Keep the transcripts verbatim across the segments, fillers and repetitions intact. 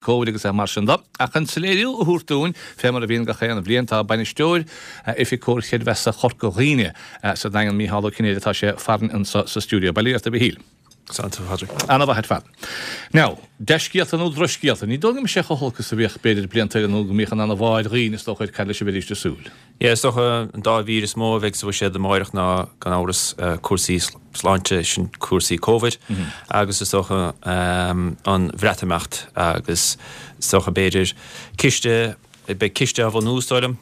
Covid agus mar sin de. Ach an soiléiriú a thabhairt dúinn fé mar a bhíonn gach aon bhliain tá bainisteoir Oifig Comhar Creidmheasa Chorca Dhuibhne sa Daingean Mícheál Ó Cinnéide tá sé farainn anseo sa stiúideo. Bail ó Dhia ort a Mhichíl. Ana-mhaith ar fad. Now, dea-scéalta nó drochscéalta, ní dóigh go mbeidh sé chomh holc is a bhíodh b'fhéidir blianta eile nó go mbíodh an ana-bháir dhaoine is dócha ar cad leis a bheidís ag súil. Yeah, is dócha an dá mhír is mó a bheidh sa bhuiséad amáireach ná gan amhras cúrsaí sláinte sin cúrsaí Covid agus is dócha an Bhreatimeacht agus is dócha b'fhéidir ciste beidh ciste á bhunú is dóigh liom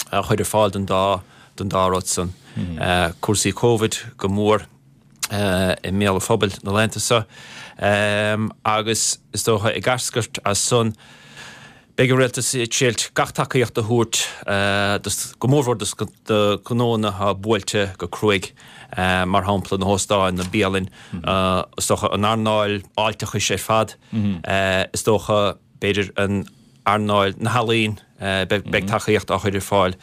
a chur ar fáil don dá don dá rud san. Cúrsaí Covid go mór i mbéal an phobail na laethanta seo agus is dócha ag eascairt as san Beidh an Rialtas ag triail gach tacaíocht a thabhairt go mórmhór do ghnónna atá buailte go cruaidh, mar shampla na hóstáin, na bialainn, is dócha an earnáil fháilteachais ar fad, is dócha b'fhéidir an earnáil na healaíon, beidh tacaíocht á chur ar fáil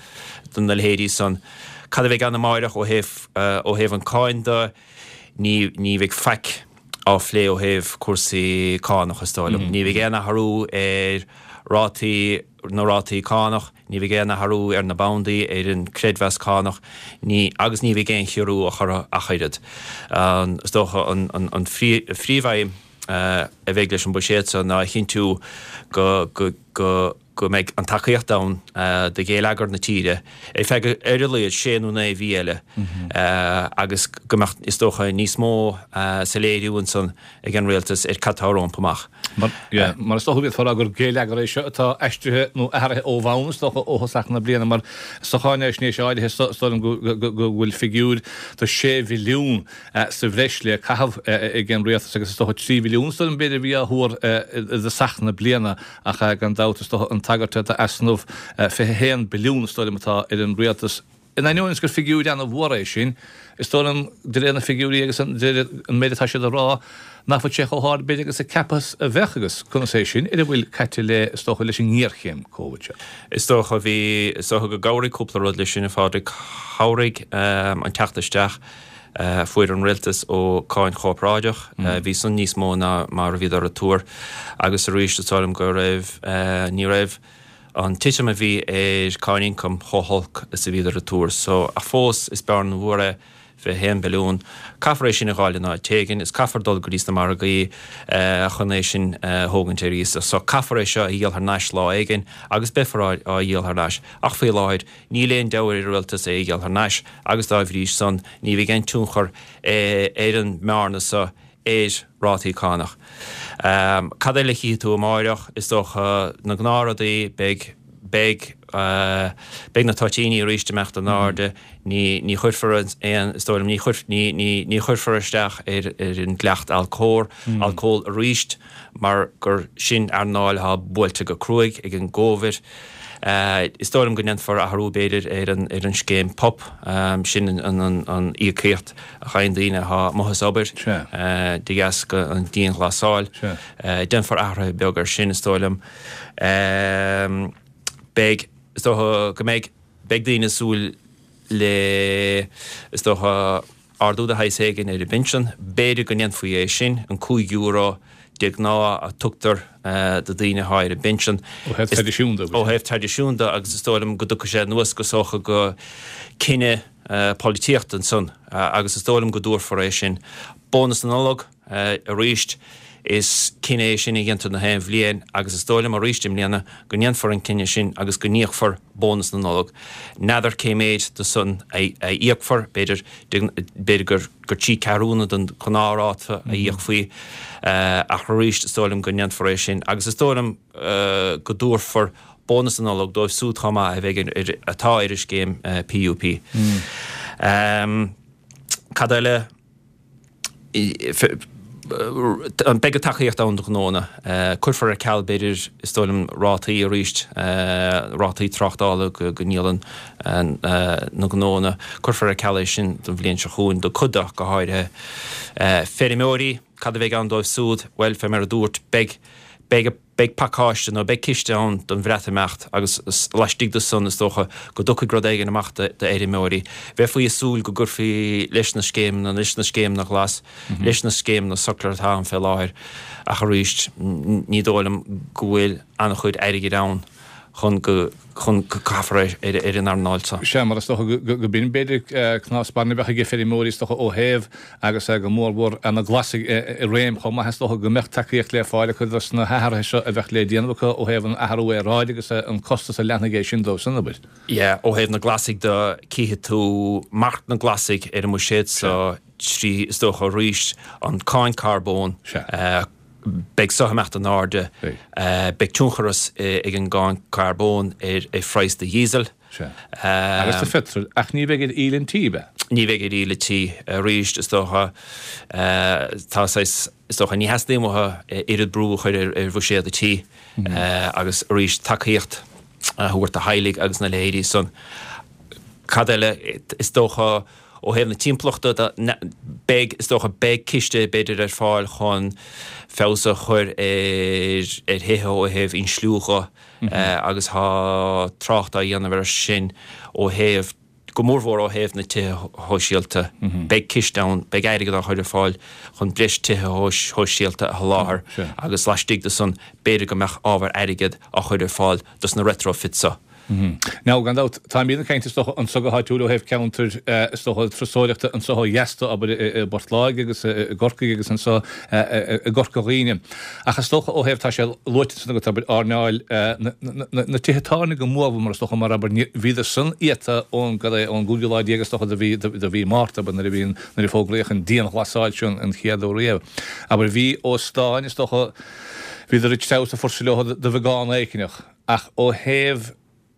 do na leithéidí san. Cad a bheidh ann amáireach ó thaobh ó thaobh an cáin de? Ní ní bheidh faic. á phlé ó thaobh cúrsaí cánach, is dóigh liom. Ní bheidh aon athrú ar rátaí, na rátaí cánach, ní bheidh aon athrú ar na bandaí, ar an creidmheas cánach, ní, agus ní bheidh aon chiorrú á chur ach oiread. Is dócha an, an, an phríomhaidhm a bheidh leis an bhuiséad seo ná a chinntiú go, go, go, go mbeidh an tacaíocht ann do ghéilleagar na tíre ar feadh ar a laghad sé nó naoi mhí eile agus go mbeadh, is dócha, níos mó soiléiriú ansan ag an Rialtas ar cad tá rompu amach. Mar is dócha go bhféadfá a rá gur géilleagar é seo atá aistrithe nó athraithe ó bhonn, is dócha, ó thosach na bliana, mar sa cháinaisnéis áirithe is dóigh liom go bhfuil figiúr de sé bhilliún sa bhreis le caitheamh ag an Rialtas agus is dócha trí bhilliún is dóigh liom b'fhéidir a bhí á thuar i dtosach na bliana ach gan dabht is dócha an tagairt d'easnamh fiche a haon billiún is dóigh liom atá ar an Rialtas. In ainneoin is gur figiúir ana-mhór é sin, is dóigh liom de réir na figiúirí agus de réir an méid atá siad a rá nach bhfuil sé chomh hard b'fhéidir agus a ceapadh a bheadh agus conas é sin ar a bhfuil caite le is dócha leis an ngéarchéim Covid seo. Is dócha bhí, is dócha go gcabhraigh cúpla rud leis sin a Phádraig. Chabhraigh an teacht isteach a fuair an rialtas ó cáin chorparáideach. Bhí san níos mó ná mar a bhíodar ag tuar agus arís is dóigh liom go raibh, ní raibh an titim a bhí ar cáin ioncaim chomh holc is a bhíodar ag tuar. So, ach fós is bearna mhór é fiche haon billiún. Caithfear é sin a dh'fháil in áit éigin, is caithfear dul go dtí sna margaí chun é sin a thógaint ar iasacht. So caithfear é seo a dhíol thar n-ais lá éigin agus beifear á dhíol thar n-ais. Ach faoi láthair níl aon deabhadh ar an rialtas é a dhíol thar n-ais agus dá bhrí san ní bheidh aon tionchar ar an mbearna so ar rátaí cánach. Cad eile a chífidh tú amáireach? Is dócha na gnáthrudaí, beidh, beidh, beidh na toitíní arís ag imeacht in airde, ní, ní chuirfear aon, is dóigh liom, ní chuir, ní, ní, ní chuirfear isteach ar, ar an dleacht alcóir, alcól arís mar gur sin earnáil atá buailte go cruaidh ag an gCóivid. Is dóigh liom go ndéanfar athrú, b'fhéidir, ar an ar an scéim PUP, sin an an íocaíocht a fhaigheann daoine atá amuigh as obair de dheasca an dianghlasáil. Déanfar athruithe beag air sin, is dóigh liom. Beidh, is dócha go mbeidh, beidh daoine ag súil le, is dócha, ardú de shaghas éigin ar an bpinsean. B'fhéidir go ndéanfaí é sin, an cúig euro de ghnáth a tugtar do daoine atá ar an bpinsean. Ó thaobh traidisiún de. Ó thaobh traidisiún de agus is dóigh liom go dtiocfaidh sé anuas go sócha go cinneadh polaitíochta ansan agus is dóigh liom go dtabharfar é sin. Bónas na Nollag arís, is cinneadh é sin a dhéantar na haon bhliain agus is dóigh liom arís i mbliana go ndéanfar an cinneadh sin agus go n-íocfar bónas na Nollag. N'fheadar cé méid de san a íocfar, b'fhéidir, b'fhéidir gur gur trí ceathrúna den ghnáthráta a íocfaí ach arís is dóigh liom go ndéanfar é sin agus is dóigh liom go dtabharfar bónas na Nollag dóibh súd chomh maith a bheidh ar, atá ar an scéim PUP. Cad eile? Beidh tacaíocht ann do ghnónna. Cuirfear ar ceal, b'fhéidir, is dóigh liom, rátaí arís, rátaí tráchtála go ndíolann na gnónna. Cuirfear ar ceal é sin don bhliain seo chugainn, do cuid de go háirithe. Feirmeoirí, cad a bheidh ann dóibh súd? Bhuel, fé mar a dúirt, beidh, Beidh beidh pacáiste nó beidh ciste ann don Bhreatimeacht agus laistigh de san is dócha go dtiocfaidh rud éigin amach d'fheirmeoirí. Bheifí ag súil go gcuirfí leis na scéimeanna, leis na scéimeanna glas, leis na scéimeanna sochar atá ann fé láthair ach arís ní dóigh liom go bhfuil an-chuid airgid ann chun go chun go gcaithfear ar ar an earnáil seo. Sea, mar is dócha go b'in b'fhéidir cnámh spairne a bheadh ag feirmeoirí is dócha ó thaobh agus go mórmhór na Glasaigh i réim chomh maith is dócha go mbeadh tacaíocht le fáil acu dos na hathruithe seo a bheadh le déanamh acu ó thaobh an athrú aeráide agus an costas a leanfaidh é sin dóibh san obair. Yeah, ó thaobh na Glasaigh de cífidh tú marc na nGlasaigh ar an mbuiséad seo trí is dócha arís an cáin carbóin, beidh so ag imeacht in airde, beidh tionchar ag an gcáin carbóin ar phraghas do dhíosal. Sea. Agus do pheitreal, ach ní bheidh ar íle an tí, ab ea? Ní bheidh ar íle tí arís, is dócha. Tá saghas, is dócha, ní theastaíonn uathu oiread brú a chur ar bhuiséad an tí agus arís tacaíocht a thabhairt do theaghlaigh agus na leithéidí san. Cad eile, is dócha, Ó thaobh na timpeallachta de, beidh, is dócha, beidh ciste b'fhéidir ar fáil chun feabhas a chur ar thithe ó thaobh insliú dhe agus tá trácht á dhéanamh air sin ó thaobh, go mórmhór ó thaobh na tithe shóisialta. Beidh ciste ann, beidh airgead á chur ar fáil chun breis tithe shóisialta a sholáthar agus laistigh de san b'fhéidir go mbeadh ábhar airgid á chur ar fáil dos na retrofits so. Now, gan dabht, táimid ag caint is dócha anso go háitiúil ó thaobh ceantair is dócha turasóireachta anso ó dheas de, abair, i bPort Láirge agus i gCorcaigh agus anso i gCorca Dhuibhne. Ach is dócha ó thaobh, tá sé luaite ansan agat, abair, earnáil na tithe tábhairne go mórmhór mar is dócha mar, abair, bhíodar san iata ón, cad é, ón gcúigiú lá déag is dócha de mhí, de mhí Márta, abair, nuair a bhí an, nuair a fógraíodh an dianghlasáil seo an chéad uair riamh. Abair, bhí óstáin is dócha, bhíodar ag treabhadh sa fuirseadh leo de bheagán éigineach ach ó thaobh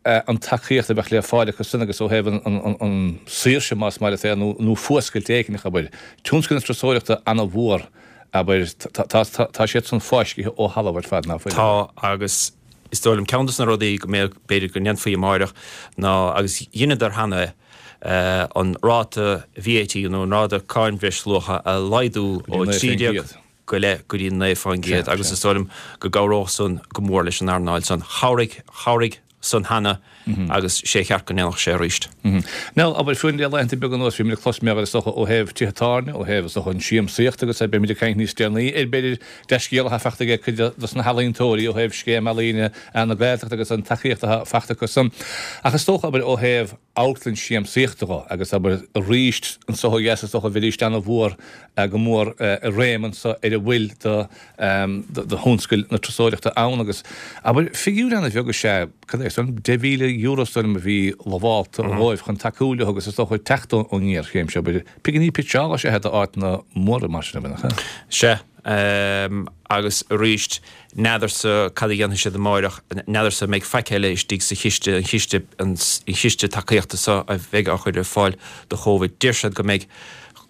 an tacaíocht a bheadh le fáil acu san agus ó thaobh an saoirse, más maith leat é, nó fuascailt éigineach, abair. Tionscal na turasóireachta ana-mhór, abair, tá siad san fáiscithe ó thalamh ar fad, ná fuil? Tá, agus is dóigh liom ceann de na rudaí go mbeadh, b'fhéidir go ndéanfaí amáireach ná, agus dheineadar cheana é, an ráta VAT nó an ráta cáin bhreisluacha a laghdú ó trí déag go leith go dtí naoi fán gcéad agus is dóigh liom go gcabhródh san go mór leis an earnáil san. Chabhraigh, chabhraigh san cheana agus sé cheart go ndéanfadh sé arís. Now, abair, fiú le laethanta beaga anuas, bhí muid ag clos mar is dócha ó thaobh tithe tábhairne, ó thaobh is dócha an siamsaíocht agus beimid ag caint níos deireanaí ar b'fhéidir dea-scéal atá fachta ag cuid dos na healaíontóirí ó thaobh Scéim Ealaíne na Gaeltachta agus an tacaíocht atá fachta acu san. Ach is dócha, abair, ó thaobh amharclann siamsaíochta dho agus abair arís anso ó dheas is dócha bheidís ana-mhór go mór i réim anso ar a bhfuil de de thionscal na turasóireachta ann agus abair figiúr ana-bheag is ea cad é san deich mhíle euro is dóigh liom a bhí lamhálta dhóibh chun tacú leo agus is dócha teacht ón ngéarchéim seo abair pinginí pitseála is ea d'áiteanna móra mar sin nach ea? Sea agus arís n'fheadarsa cad a dhéanfaidh siad amáireach, n'fheadarsa an mbeidh faic eile istigh sa chiste, an chiste, an chiste tacaíochta seo a bheidh á chur ar fáil do Chóvid. Deir siad go mbeidh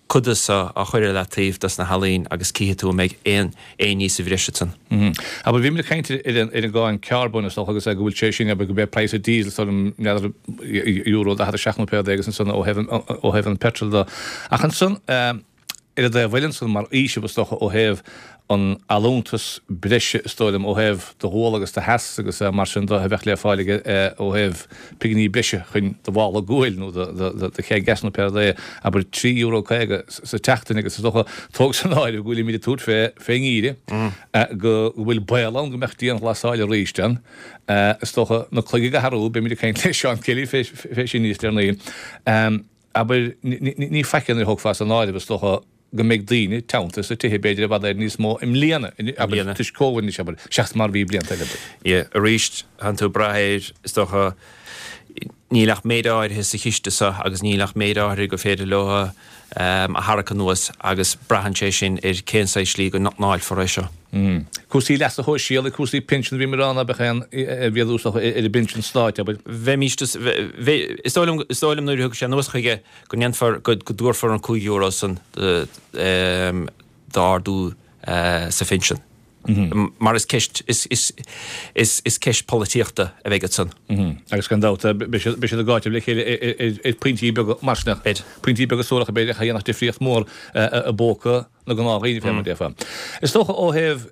cuid de seo á chur ar leataobh dos na healaín agus cífidh tú an mbeidh aon aon ní sa bhreis ansan. Abair, bhí muid ag caint ar an ar an gcáin carbóin is dócha agus go bhfuil sé sin, abair, go mbeidh praghas an diesel is dóigh liom, n'fheadar, euro daichead a seacht nó pé rud é agus ansan ó thaobh an ó thaobh an petrol de. Ach ansan, Ar an dtaobh eile ansan, mar fhaoiseamh is dócha ó thaobh an allúntas breise is dóigh liom, ó thaobh do ghual agus do theas agus mar sin de a bheadh le fáil aige ó thaobh pinginí breise chun do mhála guail nó do cheai gas nó pé rud é, abair trí euro caoga sa tseachtain agus is dócha, tóg san áireamh go bhfuilimid ag tabhairt fé fén ngeimhreadh, go bhfuil baol ann go mbeadh dianghlasáil arís ann, is dócha na cloig ag athrú, beimid ag caint le Seán Kelly fé sin níos deireanaí. Abair, ní faic é nuair a thógfá san áireamh, is dócha, go mbeidh daoine teanntaithe sna tithe, b'fhéidir, i bhfad Éireann níos mó i mbliana, abair, toisc Covid anois, abair, seachas mar a bhí blianta eile, abair. Yeah, arís, tánn tú ag brath air, is dócha, níl ach méid áirithe sa chiste seo agus níl ach méid áirithe gur féidir leo a tharrac anuas agus braitheann sé sin ar cén saghas slí go ndáilfear é seo. Cúrsaí leasa shóisialaigh, cúrsaí pinsean, bhí mé ag rá ná beadh aon mhéadú is dócha ar an bpinsean stáit, abair. Bheimis, is dóigh liom, is dóigh liom nuair a thiocfaidh sé anuas chuige go ndéanfar, go dtabharfar an cúig euro san d'ardú sa phinsean. Mar is ceist, is, is, is, is ceist polaitíochta a bheidh ansan. Agus gan dabht, beidh siad, beidh siad ag áiteamh le chéile ar pointí beaga mar sin, ar pointí beaga suaracha b'fhéidir a dhéanfadh difríocht mhór i bpóca na ngnáthdhaoine fé mar a déarfá. Is dócha ó thaobh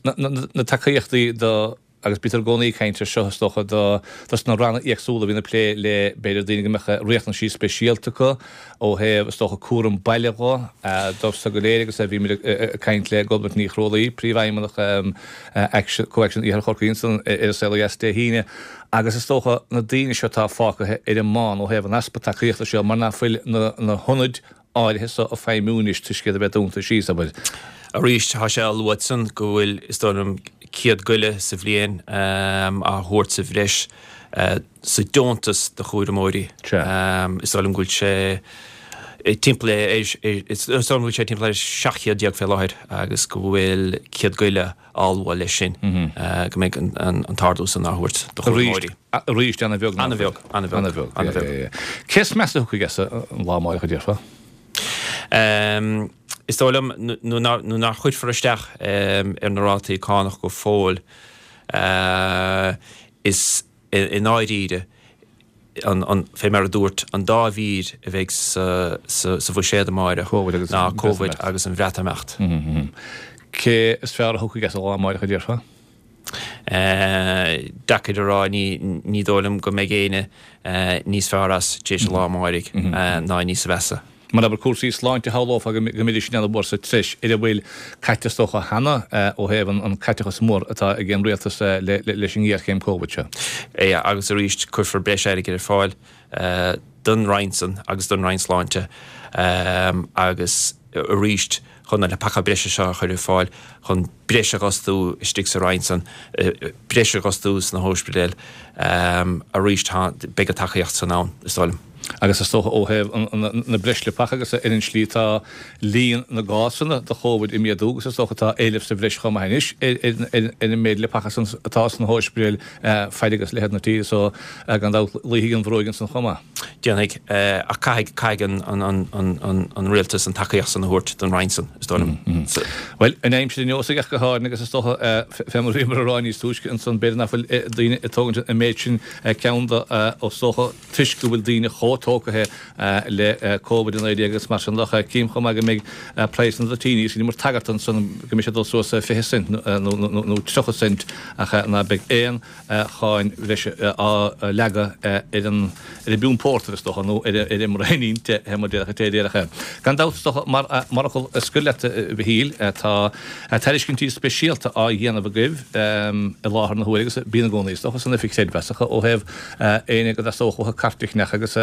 Na tacaíochtaí do, agus bítear i gcónaí ag caint ar seo is dócha, do dos na ranna éagsúla a bhíonn ag plé le b'fhéidir daoine go mbeadh riachtanaisí speisialta acu ó thaobh is dócha cúram baile dho, dóibh so go léir agus bhí muid ag caint le Gobnait Ní Chrualaoi, Príomhfheidhmeannach Action, ComhAction Iarthar Chorcaí ansan ar An Saol Ó Dheas Dé hAoine agus is dócha na daoine seo atá fágtha ar an mbán ó thaobh an easpa tacaíochta seo mar nach bhfuil na hionaid áirithe so ag feidhmiú anois toisc iad a bheith dúnta síos, abair. Arís, tá sé á lua ansan go bhfuil, is dóigh liom, céad go leith sa bhliain á thabhairt sa bhreis sa deontas do chúramóirí. Is dóigh liom go bhfuil sé timpeall ar, is dóigh liom go bhfuil sé timpeall ar seacht chéad déag fé láthair agus go bhfuil céad go leith á lua leis sin, go mbeidh an t-ardú san á thabhairt do chúramóirí. Arís, ana-bheag. Ana-bheag, ana-bheag, ana-bheag. Cé is measa a thiocfaidh as an lá amáireach, a déarfá? Is dóigh liom nuair nach gcuirfear isteach ar na rátaí cánach go fóill, is i ndáiríre, fé mar a dúirt, an dá mhír a bheidh sa bhuiséad amáireach ná Covid agus an Bhreatimeacht. Cé is fearr a thiocfaidh as an lá amáireach, a déarfá? Deacair a rá, ní dóigh liom go mbeidh éinne níos fearr as tar éis an lá amáirigh ná níos mheasa. Mar abair cúrsaí sláinte shamhlófá go mbeidís sin ana-mhór sa treis ar a bhfuil caite is dócha cheana ó thaobh an caiteachas mór atá ag an rialtas leis an ngéarchéim Covid seo. Ea, agus arís cuirfear breis airgid ar fáil don Roinn san agus don Roinn Sláinte agus arís chun na leapacha breise seo a chur ar fáil, chun breis a dh'fhostú istigh sa Roinn san, breis a dh'fhostú sna hóispidéil, arís tá, beidh an tacaíocht san ann, is dóigh liom. Agus is dócha ó thaobh na breis leapacha agus ar an slí atá líon na gcásanna de Chóvid ag méadú agus is dócha tá éileamh sa bhreis chomh maith anois ar an méid leapacha san atá sna hóispidéil faid agus leithead na tíre so gan dabht luífidh an bhruóig ansan chomh maith. Déanfaidh, ach caithfidh, caithfidh an rialtas an tacaíocht san a thabhairt don Roinn san, is dóigh liom. Bhuel, an aimsir an neosfaidh ach go háirithe agus is dócha, fé mar a bhíomar a rá níos túisce ansan, b'fhéidir nach bhfuil daoine ag tógaint an méid sin ceann de, is dócha, toisc go bhfuil daoine chomh tógtha le Covid a naoi déag agus mar sin de. Cím chomh maith go mbeidh praghas na dtoitíní, is rinneamar tagairt ansan go mbeidh sé ag dul suas fiche cent nó tríocha cent ach ná beidh aon cháin bhreise á leagadh ar an ar an bpiún pórtair, is dócha, nó ar an mbraoinín te, mar déarfadh an té a déarfadh é. Gan dabht, is dócha, mar fhocal scoir leat, a Mhichíl, tá tairiscintí speisialta á dhéanamh agaibh i láthair na huaire agus bíonn i gcónaí, is dócha, san Oifig Chreidmheasach ó thaobh éinne go dteastódh uathu cairt a cheannach agus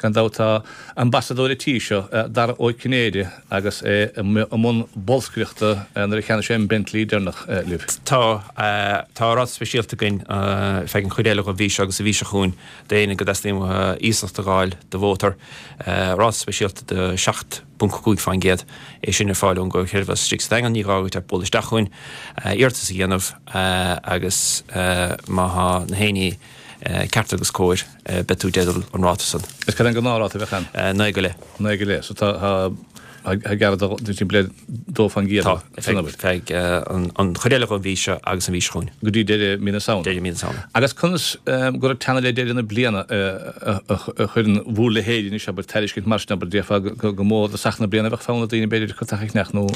gan dabht tá ambasadóir an tí seo, Dara Ó Cinnéide, agus é i mbun bolscaireachta nuair a cheannaigh sé an Bentley deireanach libh. Tá. Tá ráta speisialta againn feadh an chuid eile den mhí seo agus an mhí seo chugainn d'éinne go dteastaíonn uathu iasacht a dh'fháil do mhótar. Ráta speisialta de seacht ponc cúig faoin gcéad é sin ar fáil ón gComhar Creidmheasa istigh sa Daingean. Ní gá duit ach bualadh isteach chugainn, iarratas a dhéanamh agus má thá na haon ní ceart agus cóir beidh tú i dteideal an ráta san. Is cad é an gnáthráta a bheadh ann? Naoi go leith. Naoi go leith. So tá tá gearradh de timpeall dó faoin gcéad Tá, feadh an chuid eile den mhí seo agus an mhí seo chugainn. Go dtí deireadh mí na Samhna. Deireadh mí na Samhna. Agus conas gur ag teannadh le deireadh na bliana a chuireann bhur leithéid anois, abair, tairiscint mar sin, abair, déarfá go mó i dtosach na bliana a bheadh fonn ar daoine b'fhéidir cárta a cheannach nó.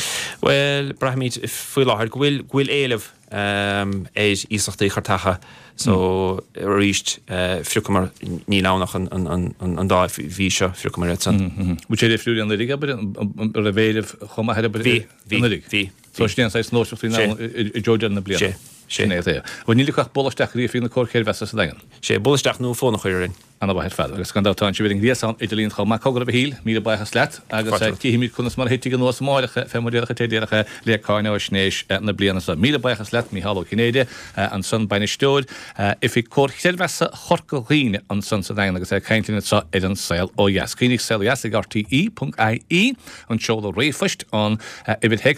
Bhuel, braithimid faoi láthair go bhfuil go bhfuil éileamh ar iasachtaí cairteacha so arís phriocamar, níl ann ach an dá mhí seo, phriocamar iad san. Bhfuil sé difriúil anuraidh, abair, an raibh éileamh chomh maith air, abair, Bhí, bhí, anuraidh? bhí. So sin é an saghas nóiseacht a bhíonn ann i dtreo deireadh na bliana. Sé, sé. Sin é é. Bhuel níl ach bualadh isteach go dtí oifig na Comhar Creidmheasa sa Daingean. Sé, bualadh isteach nó fón a chur orainn. Ana-mhaith ar fad. Agus gan dabht tá sibh ar an ngréasán idirlíon chomh maith. Cogar a Mhichíl, míle buíochas leat agus cífimid conas mar a thitfidh anuas amáireach fé mar déarfadh an té déarfadh é le cáináisnéis na bliana seo. Míle buíochas leat Mícheál Ó Cinnéide, ansan Bainisteoir Oifig Comhar Chreidmheasa Chorca Dhuibhne ansan sa Daingean agus é ag caint linn anseo ar An Saol Ó Dheas. Cuimhnigh Saol Ó Dheas ag R T E ponc I E an seoladh ríomhphoist, an uimhir théacs.